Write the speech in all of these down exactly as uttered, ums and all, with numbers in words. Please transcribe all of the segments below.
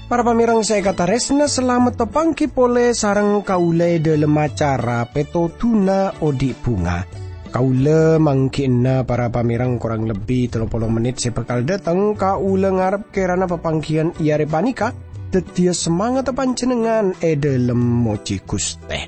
Para pamèrèng sè èkatarèsna, salamet tapangghi polè sareng kaulâ è dhâlem acara Pètodhuna Odi' Bhunga. Kaulâ mangghi'na para pamèrèng korang lebbi tello polo mennit sè bhâkal dhâteng. Kaulâ ngarep kèrana papangghiyân è arè panèka dhâddhiyâ samangatta panjhennengngan è dhâlem mojhi Ghustè.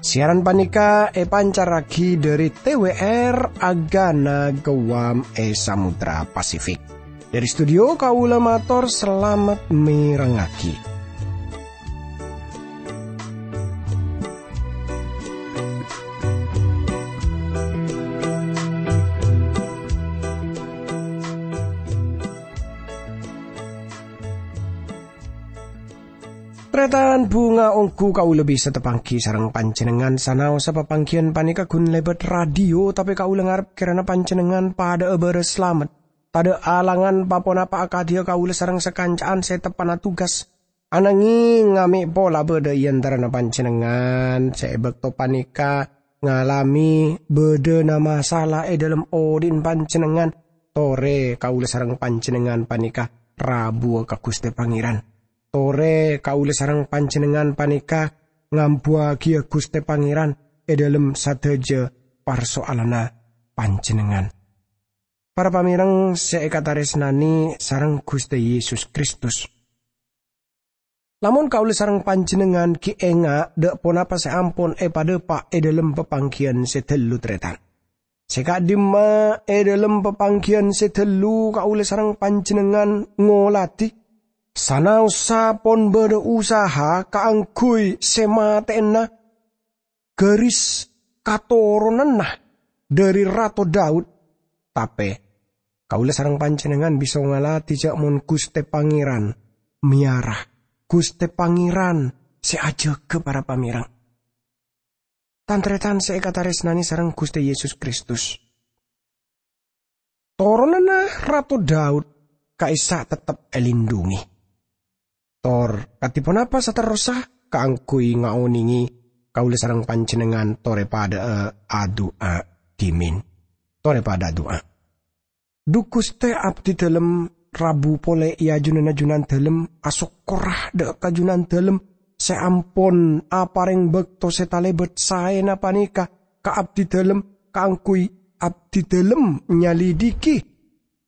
Siaran panèka èpancarraghi dhâri T W R Agana Guam è Samudra Pasifik. Dhâri studio kaulâ mator salamet mèrengngaghi. Tarètan bhunga, ongghu kaulâ bisa tapangghi sareng panjhennengngan sanaossa papangghiyân panèka ghun lèbât radio, tapè kaulâ ngarep kèrana panjhennengngan padhâ'â bârâs salamet. Tadhâ' alangan pa-ponapa akadhiyâ kaulâ sareng sakanca'an sè teppa'na tugas. Ananghèng mè' pola bâdâ è antarana panjhennengngan sè è bâkto panèka ngalamè bâdâna masala è dhâlem odi'na panjhennengngan. Torè kaulâ sareng panjhennengngan panèka rabuwâ ka Ghustè Pangèran. Torè kaulâ sareng panjhennengngan panèka ngambuwâghiyâ Ghustè Pangèran è dhâlem sadhâjâ parso'alanna panjhennengngan. Para pamèrèng sè èkatarèsnanè sareng Ghustè Yesus Kristus. Lamon kaulâ sareng panjhennengngan ghi' enga' dâ' ponapa sè ampon èpadhâpa' è dhâlem papangghiyân sè dâllu, tarètan. Sè ka'dimma è dhâlem papangghiyân sè dâllu kaulâ sareng panjhennengngan ngoladhi, sanaossa pon bâdâ usaha kaangghuy sè matè'ana ghâris katoronanna dhâri Rato Daud, tapè kaulâ sareng panjhennengngan bisa ngaladhi jâ' mon Ghustè Pangèran mèyara, Ghustè Pangèran sè ajâgâ, para pamèrèng. Tan-tarètan sè èkatarèsnanè sareng Ghustè Yesus Kristus. Toronanna Rato Daud ka'issa' tettep èlindhungi. Tor kadhi ponapa saterrossa kaangghuy ngaonèngè kaulâ sareng panjhennengngan torè padhâ'â adu'a dhimèn. Torè padhâ adu'a. Dhu Ghustè, abdhidhâlem rabu polè è ajunanna Junandhâlem, asokkorra dâ' ka Junandhâlem sè ampon aparèng bâkto sè talèbât saèna panèka ka abdhidhâlem kaangghuy abdhidhâlem nyalidhighi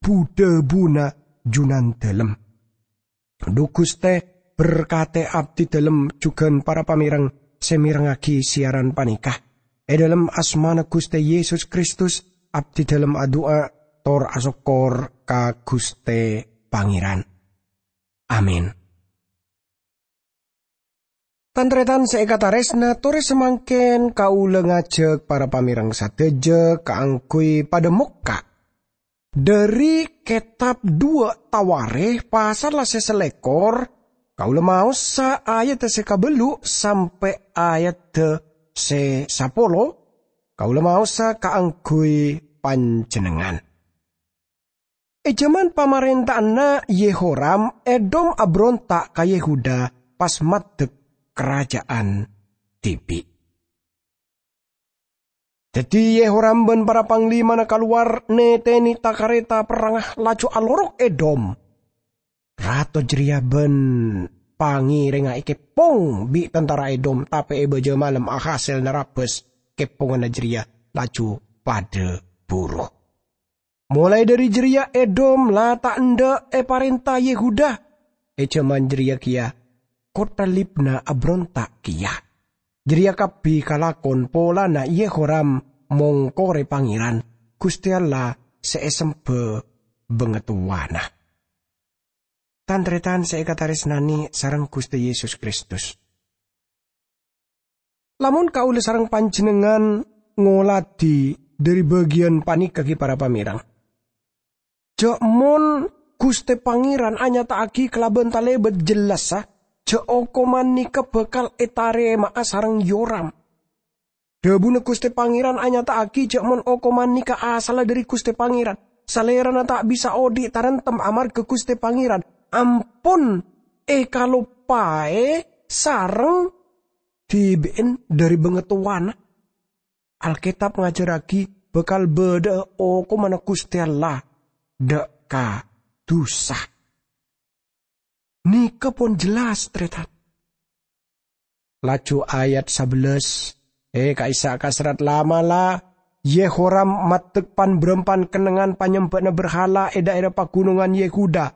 bu-dhâbuna Junandhâlem. Dhu Ghustè, berkatè abdhidhâlem jhughân para pamèrèng sè mèrengngaghi siaran panèka. È dhâlem asmana Ghustè Yesus Kristus, abdhidhâlem adu'a tor asokkor ka Ghustè Pangèran. Amin. Tan-tarètan sè èkatarèsna, torè samangkèn kaulâ ngajhâk para pamèrèng sadhâjâ kaangghuy padâ mokka' dhâri kètab duwâ' Tawarikh pasalla sè salèkor, kaulâ maossa ayadda sè kabâllu' sampè' ayadda sè sapolo, kaulâ maossa kaangghuy panjhennengngan. È jhâman pamarènta'anna Yehoram, Edom abronta' ka Yehuda pas maddhek karaja'an dhibi'. Dhâddhi Yehoram bân para panglimana kalowar nètènè ta-karèta perrangnga, laju alorok Edom. Rato jârèya bân pangèrèngnga èkeppong bi' tantara Edom, tapè è bâjâ malem ahasèlna rabâs kepponganna jârèya laju padâ buru. Molaè dhâri jârèya Edom la ta' endâ' èparènta Yehuda. È jhâman jârèya kèya kottha Libna abronta' kèya. Jârèya kabbhi kalakon polana Yehoram mongkorè Pangèran, Ghustè Allah sè èsemba bângatowana. Tan-tarètan sè èkatarèsnanè sareng Ghustè Yesus Kristus. Lamon kaulâ sareng panjhennengngan ngoladhi dhâri bâgiyân panèka ghi para pamèrèng, jhâ' mon Ghustè Pangèran anyata'aghi kalabân talèbât jellassa jhâ' okoman nèka bhâkal ètarèma'a sareng Yoram. Dhâbuna Ghustè Pangèran anyata'aghi jhâ' mon okoman nèka asalla dhâri Ghustè Pangèran. Salèrana ta' bisa odi' taremtem amarghâ Ghustè Pangèran ampon èkaloppaè sareng dhibi'en dhâri bângatowana. Alkètab ngajhârraghi bhâkal bâdâ'â okomanna Ghustè Allah dâ' ka dhusa. Nèka pon jelas, Tarètan. Laju ayat sabellâs, è ka'issa' ka serrat la'-mala', Yehoram maddhek pan-bârâmpan kennengngan panyembhâ'na berhala è dhaèra pagunongan Yehuda,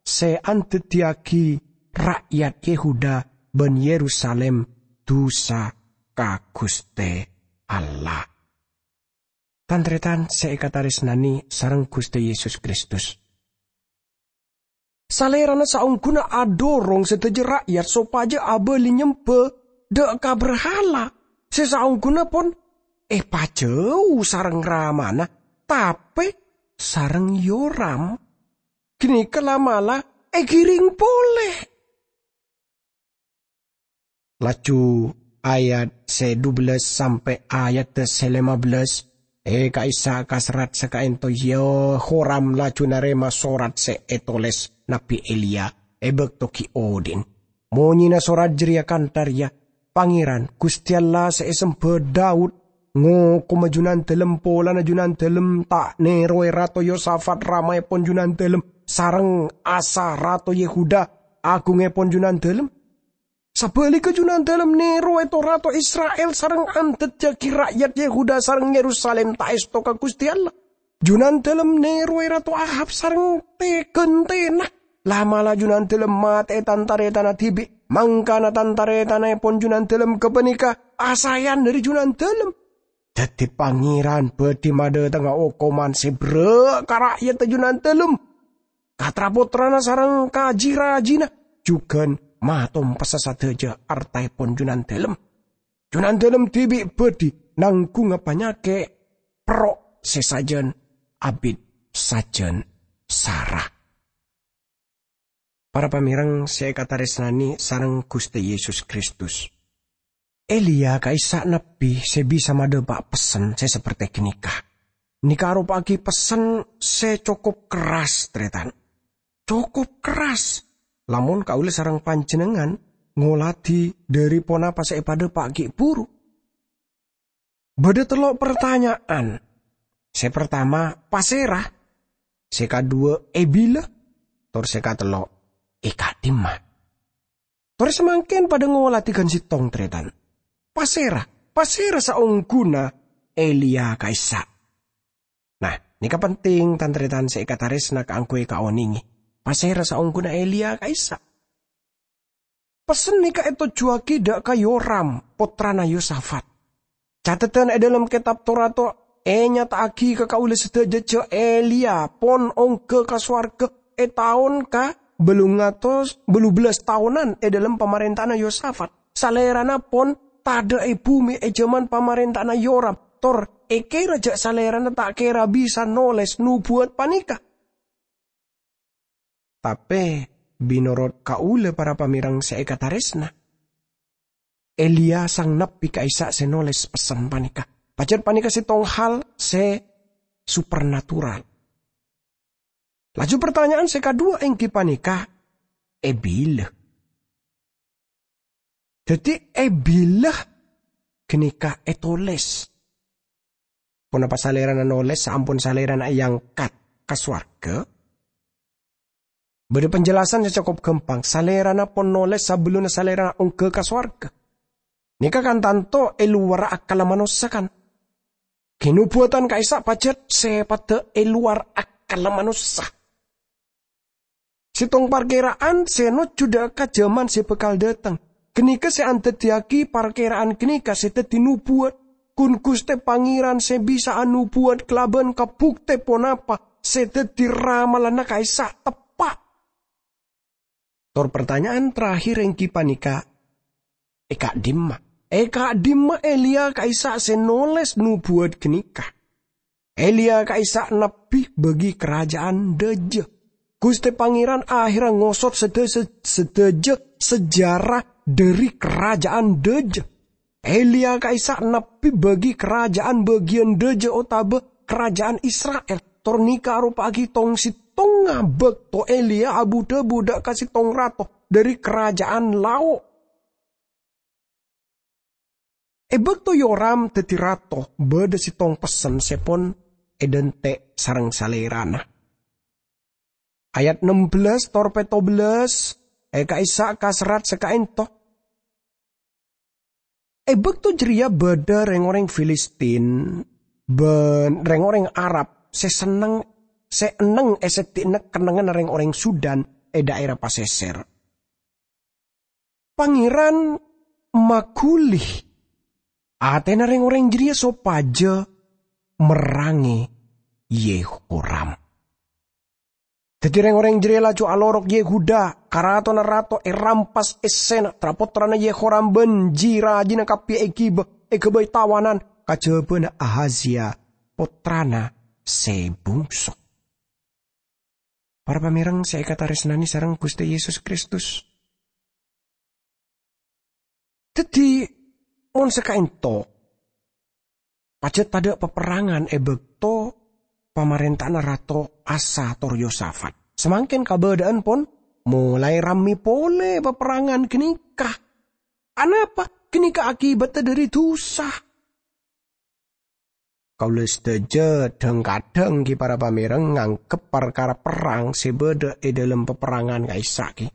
sè andhâddhiyâghi ra'yat Yehuda bân Yerusalim dhusa ka Ghustè Allah. Tan-tarètan sè èkatarèsnanè sareng Ghustè Yesus Kristus. Salèrana saongghuna adhorong sadhâjâ ra'yat sopajâ abâli nyembhâ dâ' ka berhala sè saongghuna pon èpajâu sareng ramana, tapè sareng Yoram. Ghânèka la'-mala' èghiring polè. Laju ayat sè dubellâs sampè' ayadda sè lèmabellâs, è ka'issa' ka serrat sakaènto Yehoram laju narèma sorat sè ètolès Nabbhi Eliya è bâkto ghi' odi'na. Monyèna sorat jârèya kantha rèya, "Pangèran, Ghustè Allah sè èsembhâ Daud, ngokoma Junandâlem polana Junandâlem ta' nèrowè Rato Yosafat ramaèpon Junandâlem sareng Asa Rato Yehuda, agungèpon Junandâlem. Sabhâligghâ, Junandâlem nèrowè to-rato Isra'il sareng andhâddhiyâghi ra'yat Yehuda sareng Yerusalim ta' èsto ka Ghustè Allah. Junandâlem nèrowè Rato Ahab sareng tè-ghântèna. La'-mala' Junandâlem matè'è tan-tarètanna dhibi', mangkana tan-tarètanaèpon Junandâlem ghâpanèka asaèyan dhâri Junandâlem. Dhâddhi Pangèran bhâdhi madhâtengnga okoman sè berrâ' ka ra'yadda Junandâlem, ka tra-pottrana sareng ka ji-rajina, jhughân matompessa sadhâjâ artaèpon Junandâlem. Junandâlem dhibi' bhâdhi nangghungnga panyakè' perro' sè sajân abit sajân sara." Para pamèreng sè èkatarèsnanè sareng Ghustè Yesus Kristus. Eliya ka'issa' nabbhi sè bisa madhâpa' pessen sè sapertè ghânèka. Nèka aropa'aghi pessen sè cokop kerras, tarètan. Cokop kerras, lamon kaulâ sareng panjhennengngan ngoladhi dhâri ponapa sè èpadhâpa' ghi' bhuru. Bâdâ tello' partanya'an. Sè partama, "Pasèra?" Sè kadhuwâ, "È bilâ?" Tor sè katello', "È ka'dimma?" Torè samangkèn padâ ngoladhi ghân sèttong, tarètan. Pasèra? Pasèra saongghuna Eliya ka'issa'? Nah, nèka penting, tan-tarètan sè èkatarèsna kaangghuy èkaonèngè. Pasèra saongghuna Eliya ka'issa'? Pessen nèka ètojjhuwâghi dâ' ka Yoram, pottrana Yosafat. Cateddhân è dhâlem Kètab Torah to ènyata'aghi ka kaulâ sadhâjâ jâ' Eliya pon ongghâ ka sowarghâ è taon ka bâllung atos bâllu bellâs taonan è dhâlem pamarènta'anna Yosafat. Salèrana pon tadâ' è bhumè è jhâman pamarènta'anna Yoram, tor èkèra jâ' salèrana ta' kèra bisa nolès nobuwât panèka. Tapè, mènorot kaulâ para pamèreng sè èkatarèsna, Eliya sang nabbhi ka'issa' sè nolès pessen panèka. Pajhât panèka sèttong hal sè supernatural. Laju partanya'an sè kadhuwâ èngghi panèka, è bilâ? Dhâddhi, è bilâ ghânèka ètolès? Ponapa Salèrana nolès saampon Salèrana èangkat ka sowarghâ? Bâdâ penjelasan sè cokop ghâmpang. Salèrana pon nolès sabellunna Salèrana ongghâ ka sowarghâ. Nèka kan tanto è lowarra akkalla manossa, kan? Kanobuwâtan ka'issa' pajhât sèpaddhâ è lowar akkalla manossa. Sèttong parkèra'an sè nojjhu dâ' ka jhâman sè bhâkal dâteng. Ghânèka sè andhâddhiyâghi parkèra'an ghânèka sè dhâddhi nobuwât. Ghun Ghustè Pangèran sè bisa anobuwât kalabân kabuktè ponapa sè dhâddhi ramalana ka'issa' teppa'. Tor partanya'an terakhir èngghi panèka, è ka'dimma? È ka'dimma Eliya ka'issa' sè nolès nobuwât ghânèka? Eliya ka'issa' nabbhi bâgi karaja'an dâjâ. Ghustè Pangèran aherra ngosot sadhâ-, sadhâjâ sejarah dhâri karaja'an dâjâ. Eliya ka'issa' nabbhi bâgi karaja'an bâgiyân dâjâ otabâ karaja'an Isra'il. Tor nèka aropa'aghi tong-sèttongnga bâkto Eliya abu-dhâbu dâ' ka sèttong rato dhâri karaja'an lao'. È bâkto Yoram dhâddhi rato, bâdâ sèttong pessen sè pon èdhânte' sareng salèrana. Ayat nem bellâs tor pètto bellâs è ka'issa' kaserrat sè ka'ènto. È bâkto jârèya bâdâ rèng-orèng Filistin bân rèng-orèng Arab sè senneng, sè enneng è seddi'na kennengnganna rèng-orèng Sudan è dhaèra pasèsèr. Pangèran maghuli atèna rèng-orèng jârèya sopajâ merrangè Yehoram. Dhâddhi rèng-orèng jârèya laju alorok Yehuda, karatonna rato èrampas èssèna, tra-pottrana Yehoram bân ji-rajina kabbhi èghibâ èghâbây tawanan kajhâbhâna Ahazia, pottrana sè bungso. Para pamèreng sè èkatarèsnanè sareng Ghustè Yesus Kristus. Dhâddhi, mon sè ka'ènto, pajhât tadâ' paperrangan è bâkto pamarènta'anna Rato Asa tor Yosafat. Samangkèn kabâdâ'ân pon molaè rammè polè paperrangan ghânèka. Anapa? Ghânèka akibatta dhâri dhusa. Kaulâ sadhâjâ dhâng-kadhâng ghi para pamèreng nganggep parkara perrang sè bâdâ è dhâlem paperrangan ka'issa' ghi.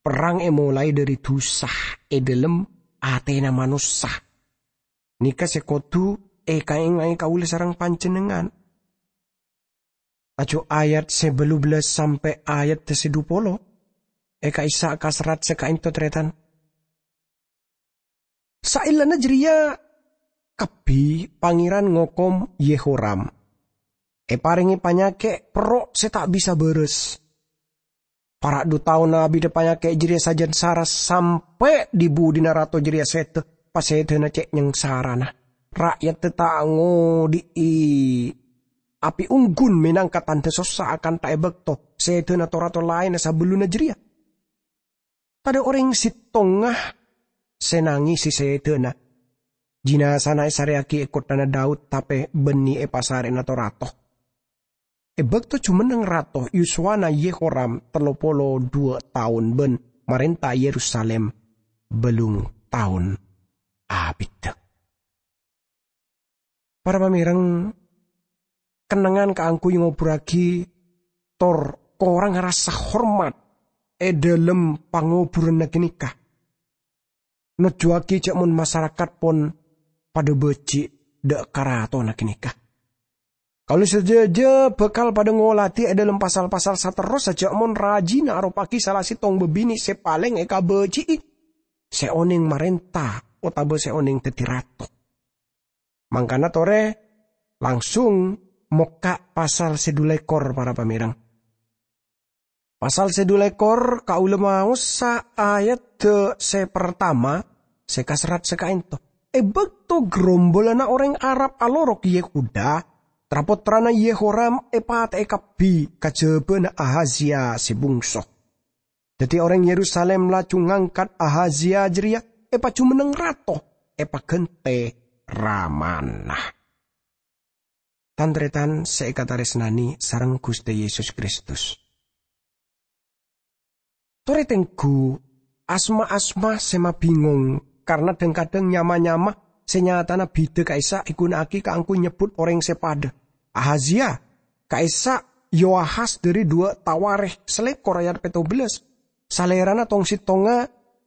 Perrang èmolaè dhâri dhusa è dhâlem atèna manossa. Nèka sè kodhu èkaènga'è kaulâ sareng panjhennengngan. Laju ayat sè bâllu bellâs sampè' ayat sè dhu polo è ka'issa' kaserrat sè ka'ènto, tarètan. Saellana jârèya kabbhi Pangèran ngokom Yehoram. Èparèngè panyakè' perro' sè ta' bisa bârâs. Para' dhu taon abidhâ panyakè' jârèya sajân sara sampè' dhi-budhina rato jârèya sèdhâ, pasèdhâna cè' nyangsarana. Ra'yadda ta' ngodhi'i api ongghun mènangka tandhâ sossa akantha è bâkto sèdhâna to-rato laènna sabellunna jârèya. Tadâ' orèng sèttonga sè nangèsè sèdhâna. Jinazana èsarèyaghi è kotthana Daud, tapè bânnè è pasarè'na to-rato. È bâkto jumenneng rato, yuswana Yehoram tello polo dhuwâ' taon bân marènta Yerusalim bâllung taon abidhâ. Para pamèreng, kennengngan kaangghuy ngoburraghi tor korang rasa hormat è dhâlem pangoburanna ghânèka nojjuwaghi jhâ' mon masarakat pon padhâ bâji' dâ' ka ratona ghânèka. Kaulâ sadhâjâ bhâkal padhâ ngolatè è dhâlem pasal-pasal saterrossa jhâ' mon rajina aropa'aghi sala sèttong bâbinè' sè palèng èkabâji'i, sè onèng marènta otabâ sè onèng dhâddhi rato. Mangkana torè langsung mokka' pasal sè dhu lèkor, para pamèreng. Pasal sè dhu lèkor kaulâ maosa ayadda sè partama sè kaserrat sè ka'ènto. È bâkto grombolanna orèng Arab alorok Yehuda, tra-pottrana Yehoram èpatè'è kabbhi kajhâbhâna Ahazia sè bungso. Dhâddhi orèng Yerusalim laju ngangkat Ahazia jârèya èpajumenneng rato, èpaghântè ramana. Tan-tarètan sè èkatarèsnanè sareng Ghustè Yesus Kristus. Torè tengghu, asma-asma sè mabingong, karna dhâng-kadhâng nyama-nyama sè nyatana bhidhâ ka'issa' èghuna'aghi kaangghuy nyebbhut orèng sè padhâ. Ahazia, ka'issa' Yoahas dhâri Duwâ' Tawarikh salèkor ayat pètto bellâs. Salèrana tong-sèttonga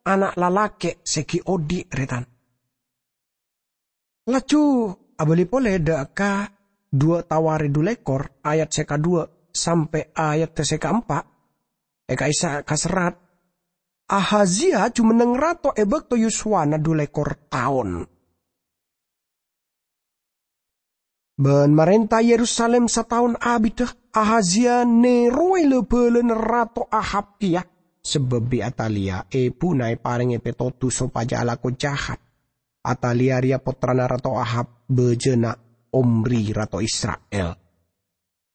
ana' lalakè' sè ghi' odi', rè-tan. Laju abâli polè dâ' ka Duwâ' Tawarikh dhu lèkor ayat sè kadhuwâ' sampè' ayat sè kaempa', è ka'issa' kaserrat, Ahazia jumenneng rato è bâkto yuswana dhu lèkor taon. Bân marènta Yerusalim sataon abidhâ, Ahazia nèrowè la-bâlâna Rato Ahab kèya, sabâb bi' Atalia, èbhuna èparèngè pètodus sopajâ alako jahat. Atalia rèya pottrana Rato Ahab, bâjâna Omri, rato Isra'il.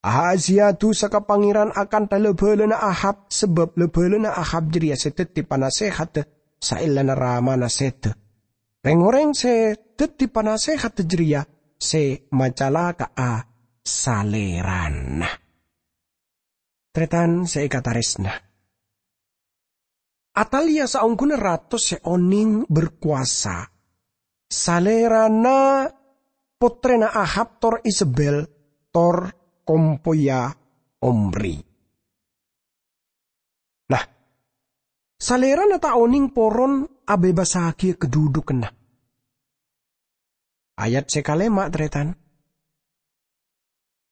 Ahazia dusa ka Pangèran akantha la-bâlâna Ahab, sabâb la-bâlâna Ahab jârèya sè dhâddhi panasèhatta saellana ramana sèdhâ. Rèng-orèng sè dhâddhi panasèhatta jârèya sè macalaka'a salèrana. Tarètan sè èkatarèsna. Atalia saongghuna rato sè onèng berkuasa, Salèrana pottrèna Ahab tor Izebel tor kompoya Omri. Nah, Salèrana ta' onèng poron abhebassaghiyâ kadhudhukanna. Ayat sè kalèma', tarètan.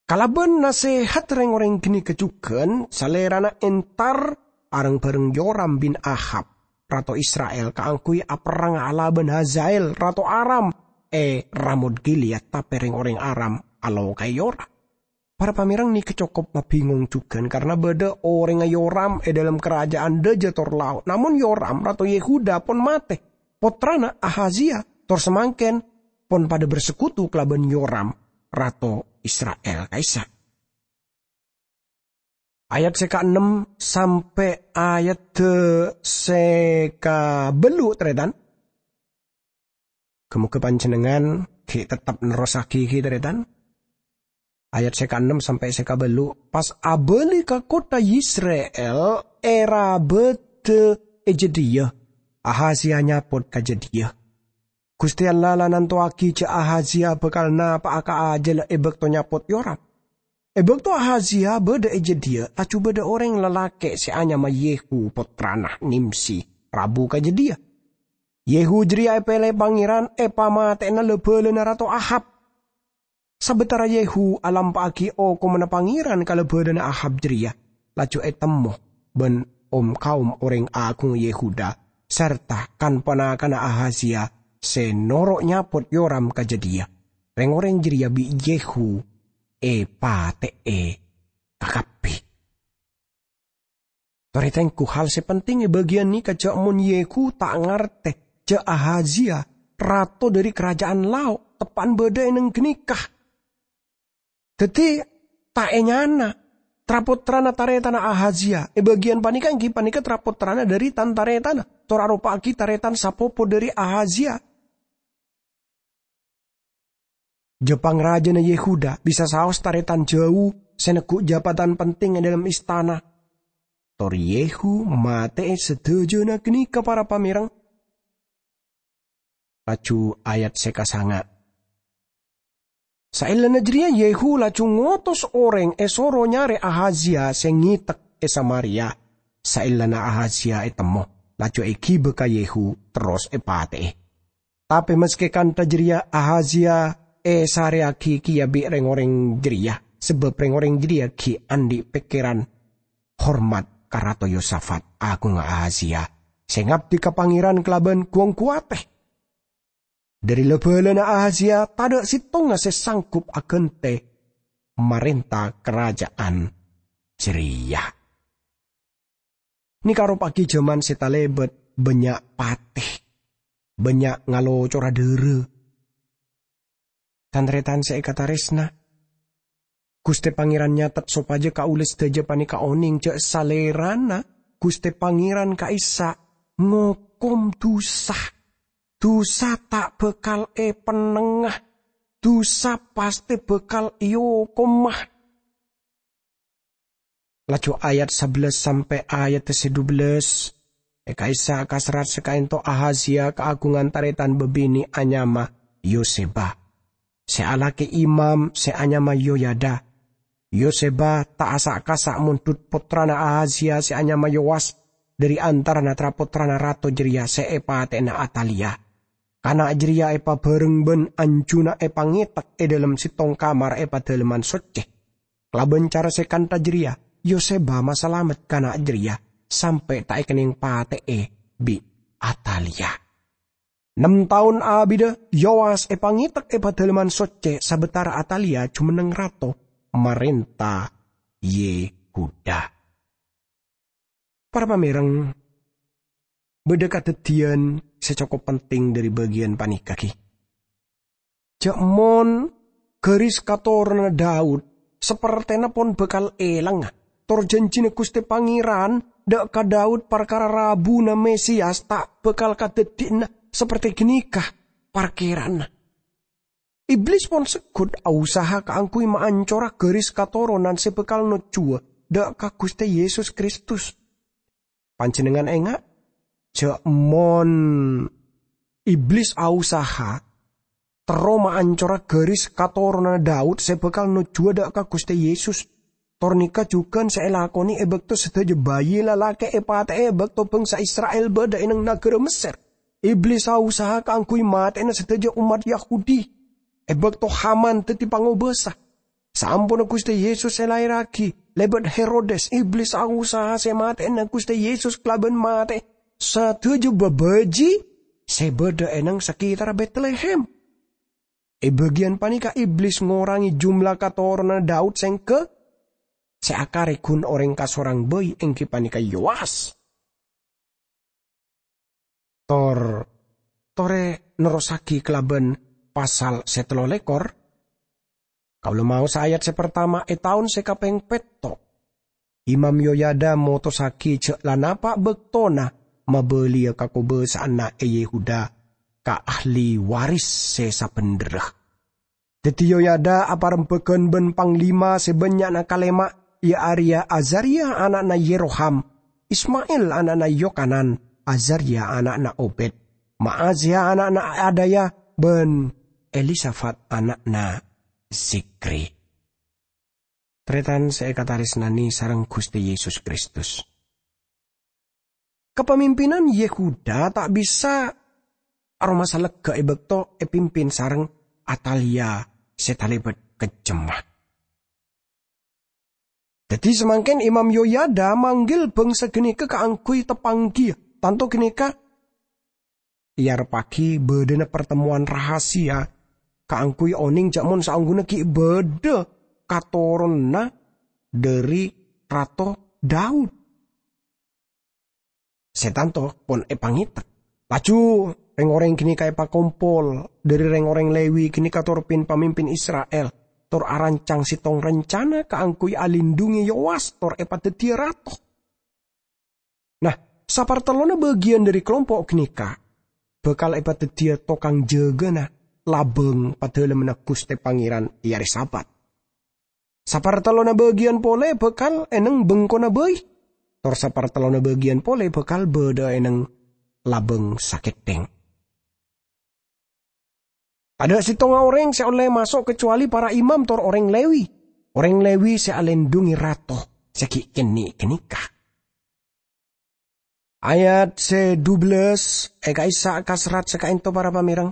Kalabân nasèhat rèng-orèng ghânèka jhughân, Salèrana entar areng-bhâreng Yoram bin Ahab, rato Isra'il, kaangghuy aperrang alabân Hazael, rato Aram, è Ramot Gilead, tapè rèng-orèng Aram aloka'è Yoram. Para pamèreng, nèka cokop mabhingong jhughân, karna bâdâ orèngnga Yoram è dâlem karaja'an dâjâ tor lao'. Namong Yoram, rato Yehuda, pon matè. Pottrana Ahazia, tor samangkèn, pon padâ bersekutu kalabân Yoram, rato Isra'il ka'issa'. Ayat sè kaennem sampè' ayat sè kabâllu', tarètan. Ghâ-moghâ panjhennengngan ghi' teptep nerrossaghi ghi, tarètan. Ayat sè kaennem sampè' sè kabâllu', pas abâli ka kottha Yisrael, èrabâdhâ è jâdiyâ, Ahazia nyapot ka jâdiyâ. Ghustè Allah la nantowaghi jâ' Ahazia bhâkal napa'a ka ajâlâ è bâkto nyapot Yoram. È bâkto Ahazia bâdâ è jâdiyâ, laju bâdâ orèng lalakè' sè anyama Yehu, pottrana Nimsi, rabu ka jâdiyâ. Yehu jârèya èpèlè Pangèran èpamatè'ana la-bhâlâna Rato Ahab. Sabâtara Yehu alampa'aghi okomanna Pangèran ka la-bhâlâna Ahab jârèya, laju ètemmo bân om-kaom orèng aghungnga Yehuda, sarta kan-ponakanna Ahazia sè noro' nyapot Yoram ka jâdiyâ. Rèng-orèng jârèya bi' Yehu èpatè'è kakabbhi. Torè tengghu, hal sè penting è bâgiyân nèka jâ' mon Yehu ta' ngartè jâ' Ahazia, rato dhâri karaja'an lao', teppa'na bâdâ è neng ghânèka. Dhâddhi, ta' ènyana, tra-pottrana tarètanna Ahazia. È bâgiyân panèka èngghi panèka tra-pottrana dhâri tan-tarètanna, tor aropa'aghi tarètan sapopo dhâri Ahazia. Jâ' pangrajâna Yehuda bisa saos tarètan jâu sè neggu' jabatan penting è dâlem istana. Tor Yehu matè'è sadhâjâna ghânèka, para pamèreng. Laju ayat sè kasanga'. Saellana jârèya Yehu laju ngotos orèng èsoro nyarè Ahazia sè ngètek è Samaria. Saellana Ahazia ètemmo, laju èghibâ ka Yehu, terros èpatè'è. Tapè maskè kantha jârèya, Ahazia èsarèyaghi kèya bi' rèng-orèng jârèya, sabâb rèng-orèng jârèya ghi' andi' pèkkèran hormat ka Rato Yosafat, aghungnga Ahazia, sè ngabdi ka Pangèran kalabân gu-onggu atè. Dhâri la-bhâlâna Ahazia, tadâ' sèttonga sè sanggup aghântè marènta karaja'an jârèya. Nèka aropa'aghi jhâman sè talèbât bânnya' patè, bânnya' ngalocora dhârâ. Tan-tarètan sè èkatarèsna, Ghustè Pangèran nyatet sopajâ kaulâ sadhâjâ panèka onèng jâ' Salèrana, Ghustè Pangèran ka'issa' ngokom dhusa. Dhusa ta' bhâkal èpennengnga. Dhusa pastè bhâkal èokoma. Laju ayat sabellâs sampè' ayat sè dubellâs, è ka'issa' kaserrat sè ka'ènto Ahazia kaaghungan tarètan bâbinè' anyama Yoseba, sè alakè imam sè anyama Yoyada. Yoseba ta' asa'-kasa' mondhut pottrana Ahazia sè anyama Yowas dhâri antarana tra-pottrana rato jârèya sè èpatè'ana Atalia. Kana' jârèya èpabhâreng bân anjuna èpangètek è dâlem sèttong kamar è Padâlemman Soccè. Kalabân cara sè kantha jârèya, Yoseba masalamet kana' jârèya, sampè' ta' èkennèng patè'è bi' Atalia. Nem taon abiddhâ, Yowas èpangètek è Padâlemman Soccè sabâtara Atalia jumenneng rato marènta Yehuda. Para pamèreng, bâdâ kadhâddhiyân sè cokop penting dhâri bâgiyân panèka, ghi. Jâ' mon ghâris katoronanna Daud sapertèna pon bhâkal èlang, tor jhânjhina Ghustè Pangèran dâ' ka Daud parkara rabuna Mesias ta' bhâkal kadhâddhiyâna sapertè ghânèka parkèranna. Iblis pon segghut ausaha kaangghuy maancora ghâris katoronan sè bhâkal nojjhuwâ dâ' ka Ghustè Yesus Kristus. Panjhennengngan enga', jâ' mon Iblis ausaha terro maancora garis katoronanna Daud sè bhâkal nojjhuwâ dâ' ka Ghustè Yesus. Tor nèka jhughân sè èlakonè è bâkto sadhâjâ bhâi lalakè' èpatè'è è bâkto bhângsa Isra'il bâdâ è nang naghârâ Messèr. Iblis aosaha kaangghuy matè'ana sadhâjâ ommat Yahudi è bâkto Haman dhâddhi pangobâsa. Saamponna Ghustè Yesus èlaèrraghi lèbât Herodes, Iblis aosaha sè matè'ana Ghustè Yesus kalabân matè sadhâjâ bâbâji sè bâdâ è nang saketarra Betlehem. È bâgiyân panèka Iblis ngorangè jumlah katoronanna Daud sèngghâ sè akarè ghun orèng kasorang bhâi, èngghi panèka Yoas. Tor, torè nerrossaghi kalabân pasal sè tello lèkor. Kaulâ maosa ayat sè partama è taon sè kapèng pètto'. Imam Yoyada motossaghi jhâ' la napa' bâktona mabâliyâ kakobâsa'anna è Yehuda ka ahli waris sè sabhendherra. Dhâddhi Yoyada aparembhâghân bân panglima sè bânnya'na kalèma', iyâ arèya Azaria ana'na Yeroham, Ismail ana'na Yokanan, Azaria ana'na Obed, Maazia ana'na Adaya, bân Elisafat ana'na Zikri. Tarètan sè èkatarèsnanè sareng Ghustè Yesus Kristus. Kapamimpinan Yehuda ta' bisa aromasa lega è bâkto èpimpin sareng Atalia sè talèbât kejjemma. Dhâddhi samangkèn Imam Yoyada manggil bângsa ghânèka kaangghuy teppanggiyâ. Tanto ghânèka èarebbhâghi bâdâna partemmowan rahasia kaangghuy onèng jhâ' mon saongghuna ghi' bâdâ katoronanna dhâri Rato Daud. Sè tanto pon èpangèta. Laju rèng-orèng ghânèka èpakompol dhâri rèng-orèng Lewi ghânèka tor pin-pamimpin Isra'il, tor arancang sèttong rencana kaangghuy alindhungè Yoas tor èpadhâddhiyâ rato. Nah, sapartellonna bâgiyân dhâri kalompo' ghânèka bhâkal èpadhâddhiyâ tokang jâgâna labâng padâlemmanna Ghustè Pangèran è arè Sabat. Sapartellonna bâgiyân polè bhâkal è neng bengkona bhâi, tor sapartellonna bâgiyân polè bhâkal bâdâ è neng labâng sakèthèng. Tadâ' sèttonga orèng sè ollè maso' kacuali para imam tor orèng Lewi. Orèng Lewi sè alèndhungè rato sè ghi' kènè' ghânèka. Ayat sè dubellâs è ka'issa' kaserrat sè ka'ènto para pamèreng.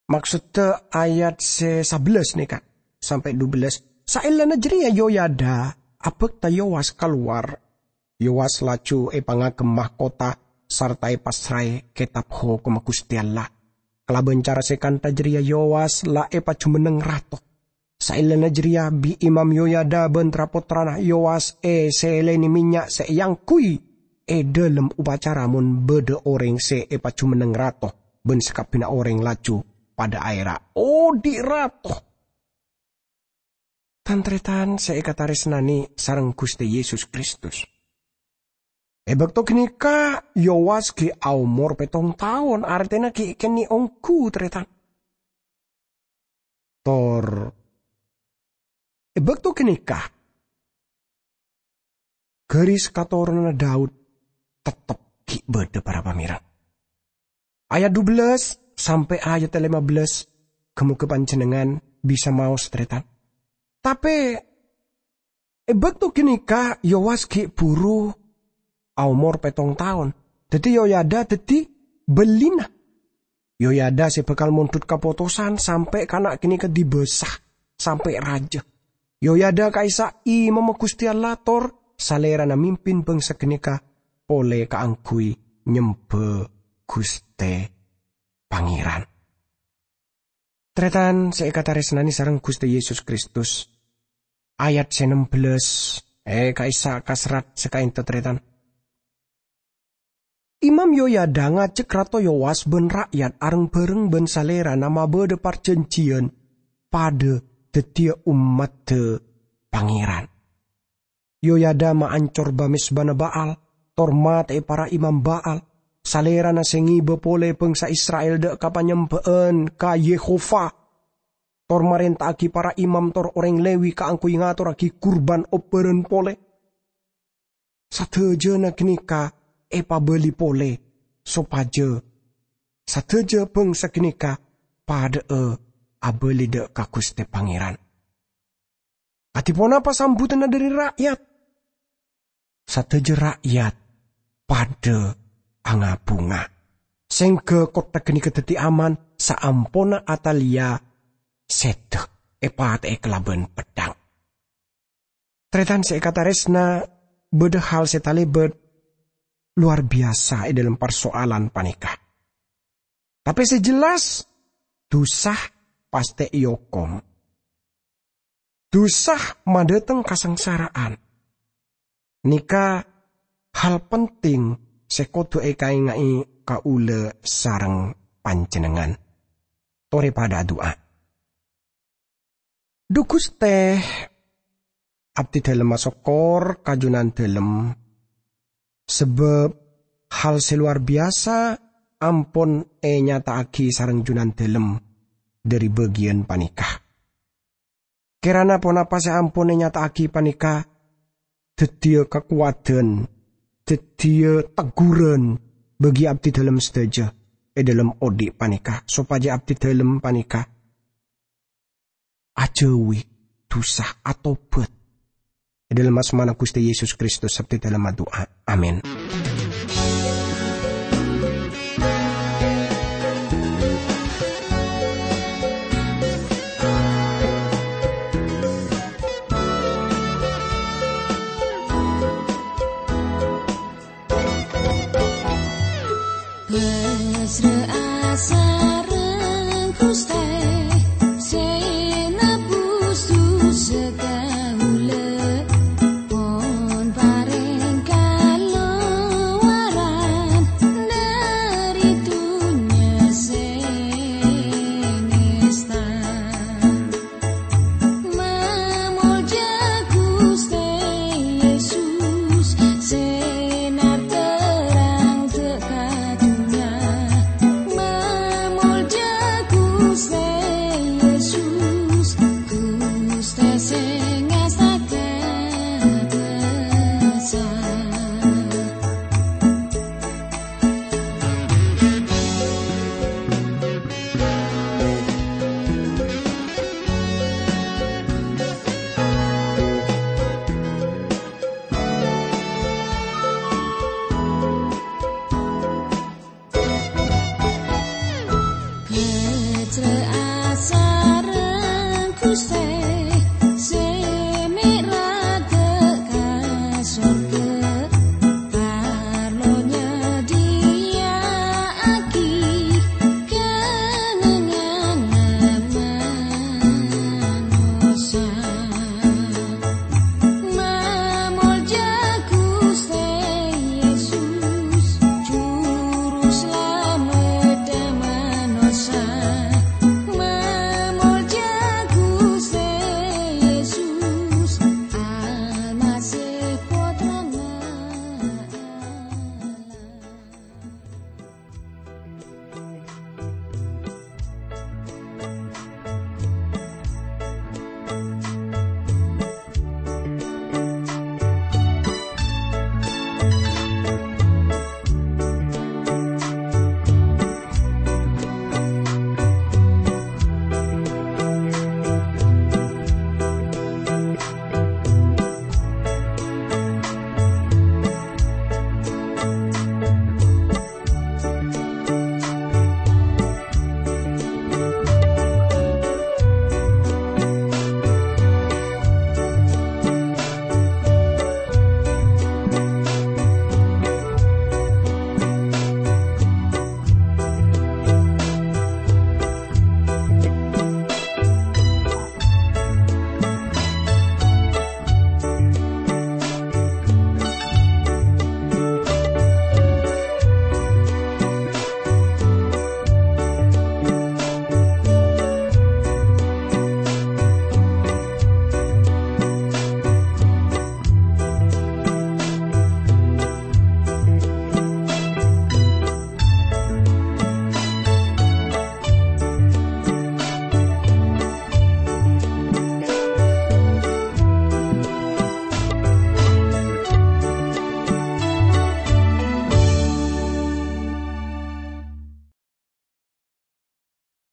Maksodda ayat sè sabellâs nèka sampè' dubellâs. Saellana jârèya Yoyada abhâkta Yowas kalowar. Yowas laju èpangagem mahkota sarta èpassraè kètab hokomma Ghustè Allah. Kalabân cara sè kantha jârèya Yowas la èpajumenneng rato. Saellana jârèya bi' Imam Yoyada bân tra-pottrana Yowas èsèlènè mènnya' sè èangghuy è dâlem opacara mon bâdâ orèng sè èpajumenneng rato, bân sakabbhiyânna orèng laju padâ aèra, "Odi' rato!" Tan-tarètan sè èkatarèsnanè sareng Ghustè Yesus Kristus. È bâkto ghânèka Yowas ghi' aomor pèttong taon, artèna ghi' kènè' ongghu, tarètan. Tor è bâkto ghânèka, garis katoronanna Daud tettep ghi' bâdâ, para pamèreng. Ayat dubellâs sampè' ayat lèma bellâs, ghâ-mogâ panjhennengngan bisa maos, tarètan. Tapè è bâkto ghânèka Yowas ghi' buru aomor pèttong taon, dhâddhi Yoyada dhâddhi bâlina. Yoyada sè bhâkal mondhut kapotosan sampè' kana' ghânèka dibâsa, sampè' rajâ. Yoyada ka'issa' imamma Ghustè Allah, tor salèrana mimpin bângsa ghânèka polè kaangghuy nyembhâ Ghustè Pangèran. Tarètan sè èkatarèsnanè sareng Ghustè Yesus Kristus, ayat sè nembellâs è ka'issa' kaserrat sè ka'ènto, tarètan. Imam Yoyada ngajhâk Rato Yowas bân ra'yat areng-bhâreng bân salèrana mabâdâ parjhânjhiyân padâ dhâddhiyâ ommaddhâ Pangèran. Yoyada maancor ba-mezbana Ba'al, tor matè'è para imam Ba'al. Salèrana sè ngibâ polè bângsa Isra'il dâ' ka panyembhâ'ân ka Yehowa, tor marènta'aghi para imam tor orèng Lewi kaangghuy ngatorraghi kurban obbhârân polè. Sadhâjâna ghânèka èpabâli polè, sopajâ sadhâjâ bângsa ghânèka padha'a abâli dâ' ka Ghustè Pangèran. Kadhi ponapa sambutanna dhâri ra'yat? Sadhâjâ ra'yat padâ anga-bhunga. Sèngghâ kottha ghânèka dhâddhi aman saamponna Atalya sèdhâ èpatè'è kalabân peddhâng. Tarètan sè èkatarèsna, bâdâ hal sè talèbât lowar biyasa è dhâlem parsoalan panèka. Tapè sè jelas, dhusa pastè èokom. Dhusa madhâteng kasangsara'an. Nèka hal penting sè kodhu èkaènga'è kaulâ sareng panjhennengngan. Torè padâ adu'a. Dhu Ghustè, abdhi dhâlem asokkor ka Jhunandhâlem, sabâb hal sè lowar biyasa ampon ènyata'aghi sareng Jhunandhâlem dhâri bâgiyân panèka. Kèrana ponapa sè ampon ènyata'aghi panèka dhâddhiyâ kakowadhân, dhâddhiyâ tegghuran bagi abdhi dhâlem sadhâjâ è dhâlem odi' panèka, sopajâ abdhi dhâlem panèka ajhâuwi dhusa, atobhât. È dhâlem asmana Ghustè Yesus Kristus, abdhi dhâlem adu'a. Amin.